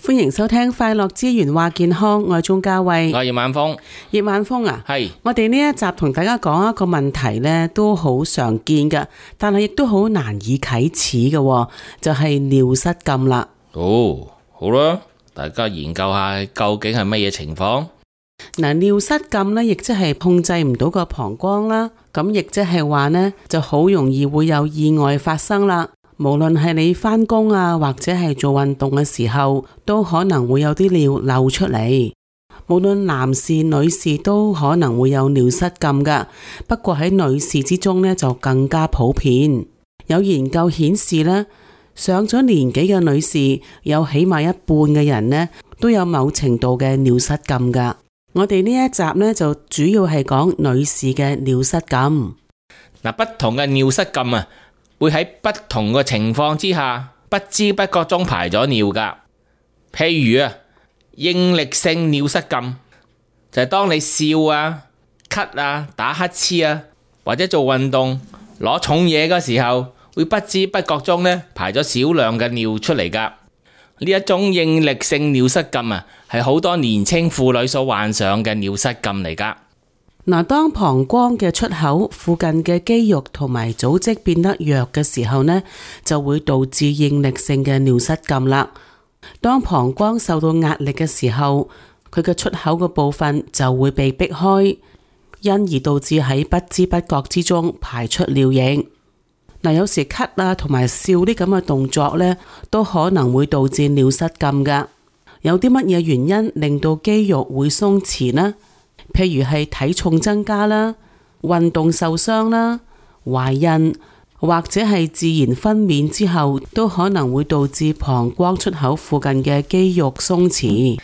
歡迎收聽快樂之源話健康，我係鍾嘉慧，我係葉晚風。葉晚風啊，係我哋呢一集同大家講一個問題呢，都好常見噶，但係亦都好難以啟齒嘅，就係尿失禁啦。哦，好啦，大家研究下究竟係乜嘢情況。嗱，尿失禁呢，亦即係控制唔到個膀胱啦，咁亦即係話呢，就好容易會有意外發生啦。無論係你返工啊，或者係做運動嘅時候，都可能會有啲尿漏出嚟。無論男士女士都可能會有尿失禁噶，不過喺女士之中呢，就更加普遍。有研究顯示呢，上咗年紀嘅女士有起碼一半嘅人呢，都有某程度嘅尿失禁噶。我哋呢一集呢，就主要係講女士嘅尿失禁。嗱，不同嘅尿失禁啊，會喺不同嘅情況之下，不知不覺中排咗尿噶。譬如啊，應力性尿失禁就係當你笑啊、咳啊、打乞嗤啊，或者做運動攞重嘢嘅時候，會不知不覺中呢排咗少量嘅尿出嚟噶。呢一種應力性尿失禁啊，係好多年輕婦女所患上嘅尿失禁嚟噶。嗱，當膀胱嘅出口附近嘅肌肉同埋組織變得弱嘅時候呢，就會導致應力性嘅尿失禁啦。當膀胱受到壓力嘅時候，佢嘅出口嘅部分就會被逼開，因而導致喺不知不覺之中排出尿液。嗱，有時咳啊同埋笑啲咁嘅動作呢，都可能會導致尿失禁噶。有啲乜嘢原因令到肌肉會鬆弛呢？譬如係體重增加啦、運動受傷啦、懷孕或者係自然分娩之後，都可能會導致膀胱出口附近嘅肌肉鬆弛。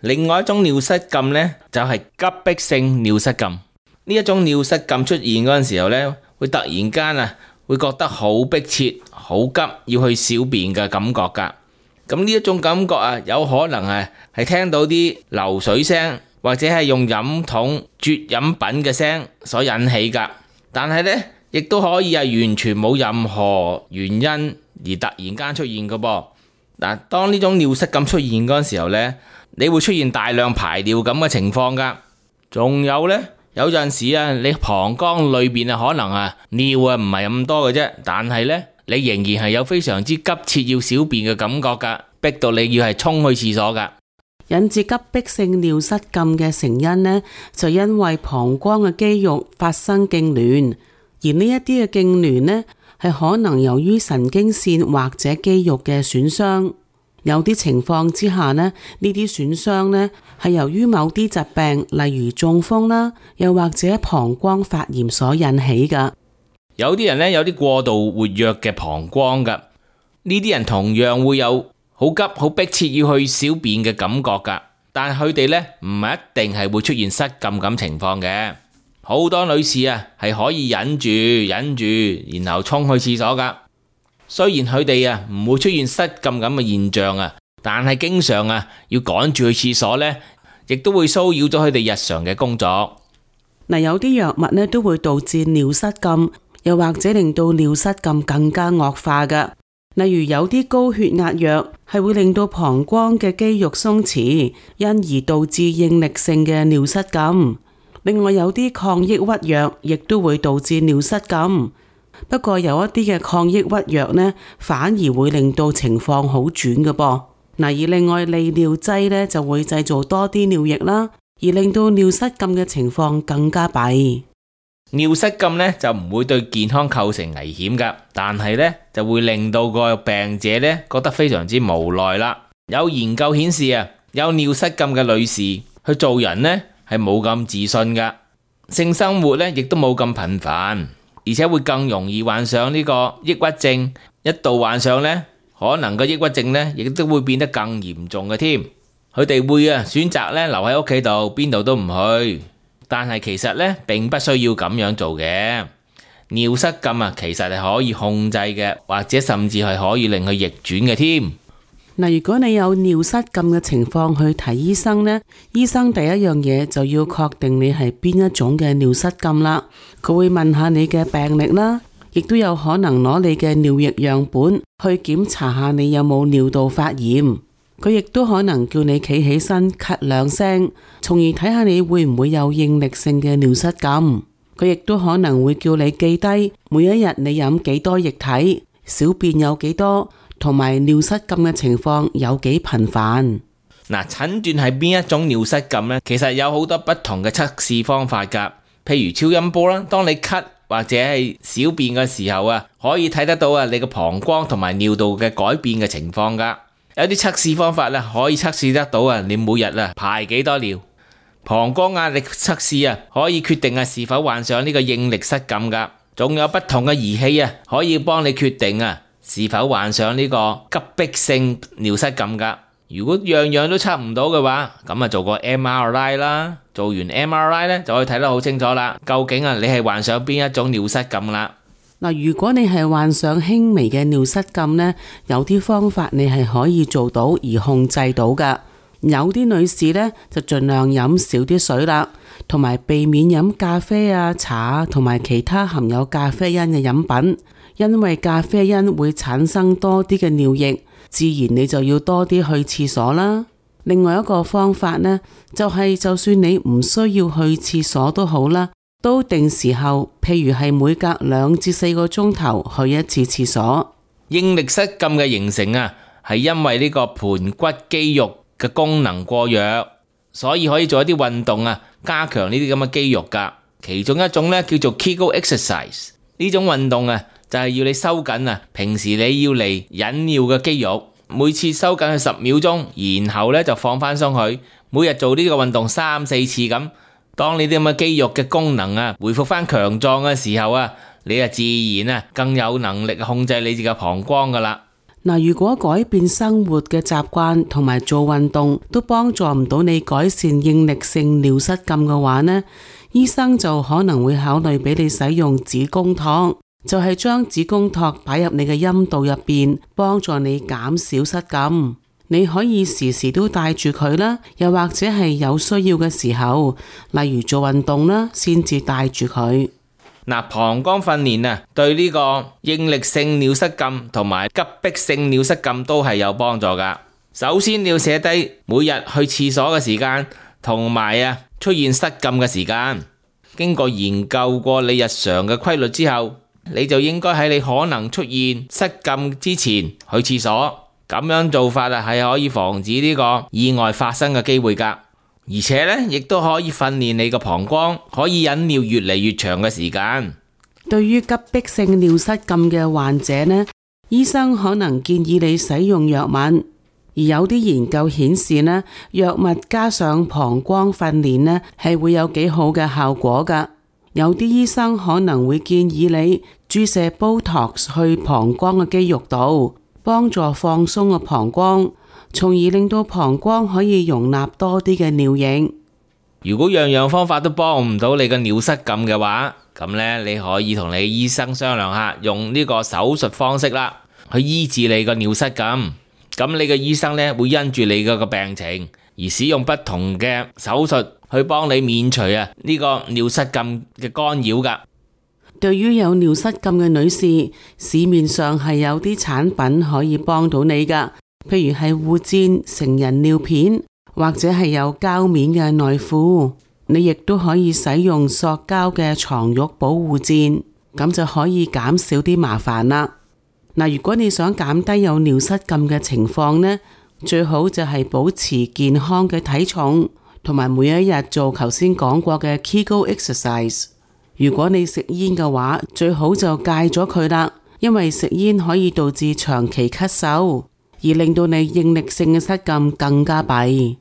另外一種尿失禁呢，就係急迫性尿失禁。呢一種尿失禁出現嗰陣時候呢，會突然間啊，會覺得好迫切、好急要去小便嘅感覺噶。咁呢一種感覺啊，有可能係聽到啲流水聲，或者係用飲筒啜飲品嘅聲所引起噶。但係呢，亦都可以係完全冇任何原因而突然間出現嘅噃。嗱，當呢種尿失禁出現嗰陣時候呢，你會出現大量排尿咁嘅情況噶。仲有呢，有陣時啊，你膀胱裏邊啊可能啊尿啊唔係咁多嘅啫，但係呢，你仍然係有非常之急切要小便嘅感覺噶，逼到你要係衝去廁所噶。引致急迫性尿失禁嘅成因呢，就因為膀胱嘅肌肉發生痙攣，而呢一啲嘅痙攣呢，係可能由於神經線或者肌肉嘅損傷。有啲情況之下呢，呢啲損傷呢係由於某啲疾病，例如中風啦，又或者膀胱發炎所引起噶。有啲人呢，有啲過度活躍嘅膀胱噶，呢啲人同樣會有好急好迫切要去小便嘅感覺噶，但係佢哋呢，唔係一定係會出現失禁咁情況嘅。好多女士啊係可以忍住，然後衝去廁所噶。雖然佢哋啊唔會出現失禁咁嘅現象啊，但係經常啊要趕住去廁所呢，亦都會騷擾咗佢哋日常嘅工作。嗱，有啲藥物呢都會導致尿失禁，又或者令到尿失禁更加惡化噶。例如有啲高血壓藥係會令到膀胱嘅肌肉鬆弛，因而導致應力性嘅尿失禁。另外有啲抗抑鬱藥亦都會導致尿失禁。不過有一啲嘅抗抑鬱藥呢，反而會令到情況好轉嘅噃。嗱，而另外利尿劑呢，就會製造多啲尿液啦，而令到尿失禁嘅情況更加弊。尿失禁呢就唔會對健康構成危險噶，但係呢就會令到個病者呢覺得非常之無奈啦。有研究顯示啊，有尿失禁嘅女士去做人呢係冇咁自信噶，性生活呢亦都冇咁頻繁。而且會更容易患上呢個抑鬱症，一度患上呢，可能個抑鬱症呢亦都會變得更嚴重嘅添。佢哋會選擇呢留喺屋企度，邊度都唔去。但係其實呢並不需要咁樣做嘅。尿失禁其實係可以控制嘅，或者甚至係可以令佢逆轉嘅添。嗱，如果你有尿失禁嘅情況去睇醫生呢，醫生第一樣嘢就要確定你係邊一種嘅尿失禁啦。佢會問下你嘅病歷啦，亦都有可能攞你嘅尿液樣本去檢查下你有冇尿道發炎。佢亦都可能叫你企起身咳2聲，從而睇下你會唔會有應力性嘅尿失禁。佢亦都可能會叫你記低每一日你飲幾多液體，小便有幾多，同埋尿失禁嘅情況有幾頻繁。嗱，診斷係邊一種尿失禁呢？其實有好多不同嘅測試方法㗎。譬如超音波啦，當你咳或者係小便嘅時候啊，可以睇得到啊你個膀胱同埋尿道嘅改變嘅情況㗎。有啲測試方法咧，可以測試得到啊你每日啊排幾多尿。膀胱壓力測試啊，可以決定啊是否患上呢個應力失禁噶。仲有不同嘅儀器啊，可以幫你決定啊是否患上呢個急迫性尿失禁噶。如果樣樣都測唔到嘅話，咁啊做個 MRI 啦。做完 MRI 咧，就可以睇得好清楚啦。究竟啊你係患上邊一種尿失禁啦？嗱，如果你係患上輕微嘅尿失禁呢，有啲方法你係可以做到而控制到噶。有啲女士呢，就盡量飲少啲水啦，同埋避免飲咖啡啊、茶啊同埋其他含有咖啡因嘅飲品，因為咖啡因會產生多啲嘅尿液，自然你就要多啲去廁所啦。另外一個方法呢，就算你唔需要去廁所都好啦，都定時候，譬如係每隔2至4個鐘頭去一次廁所。應力失禁嘅形成啊，係因為呢個盆骨肌肉嘅功能過弱，所以可以做一啲運動啊，加強呢啲咁嘅肌肉噶。其中一種咧叫做 Kegel exercise， 呢種運動啊就係要你收緊啊平時你要嚟引尿嘅肌肉，每次收緊佢10秒鐘，然後咧就放翻鬆佢。每日做呢個運動3-4次咁，當你啲咁嘅肌肉嘅功能啊恢復翻強壯嘅時候啊，你啊自然啊更有能力控制你自己嘅膀胱噶啦。嗱，如果改變生活嘅習慣同埋做運動都幫助唔到你改善應力性尿失禁嘅話呢，醫生就可能會考慮俾你使用子宮托，就係將子宮托擺入你嘅陰道入邊，幫助你減少失禁。你可以時時都帶住佢啦，又或者係有需要嘅時候，例如做運動啦，先至帶住佢。嗱，膀胱訓練啊，對呢個應力性尿失禁同埋急迫性尿失禁都係有幫助噶。首先你要寫低每日去廁所嘅時間，同埋啊出現失禁嘅時間。經過研究過你日常嘅規律之後，你就應該喺你可能出現失禁之前去廁所。咁樣做法啊，係可以防止呢個意外發生嘅機會噶。而且呢，亦都可以訓練你個膀胱可以忍尿越嚟越長嘅時間。對於急迫性尿失禁嘅患者呢，醫生可能建議你使用藥物，而有啲研究顯示呢，藥物加上膀胱訓練呢，係會有幾好嘅效果噶。有啲醫生可能會建議你注射 Botox 去膀胱嘅肌肉度，幫助放鬆個膀胱，從而令到膀胱可以容納多啲嘅尿液。如果樣樣方法都幫唔到你嘅尿失禁嘅話，咁呢，你可以同你醫生商量下，用呢個手術方式啦，去醫治你個尿失禁。咁你嘅醫生呢，會因住你個病情而使用不同嘅手術去幫你免除啊呢個尿失禁嘅干擾噶。對於有尿失禁嘅女士，市面上係有啲產品可以幫到你噶，譬如係護墊、成人尿片，或者係有膠面嘅內褲。你亦都可以使用塑膠嘅床褥保護墊，咁就可以減少啲麻煩啦。嗱，如果你想減低有尿失禁嘅情況呢，最好就係保持健康嘅體重，同埋每一日做頭先講過嘅 Kegel exercise。如果你食煙嘅話，最好就戒咗佢啦，因為食煙可以導致長期咳嗽，而令到你應力性嘅失禁更加弊。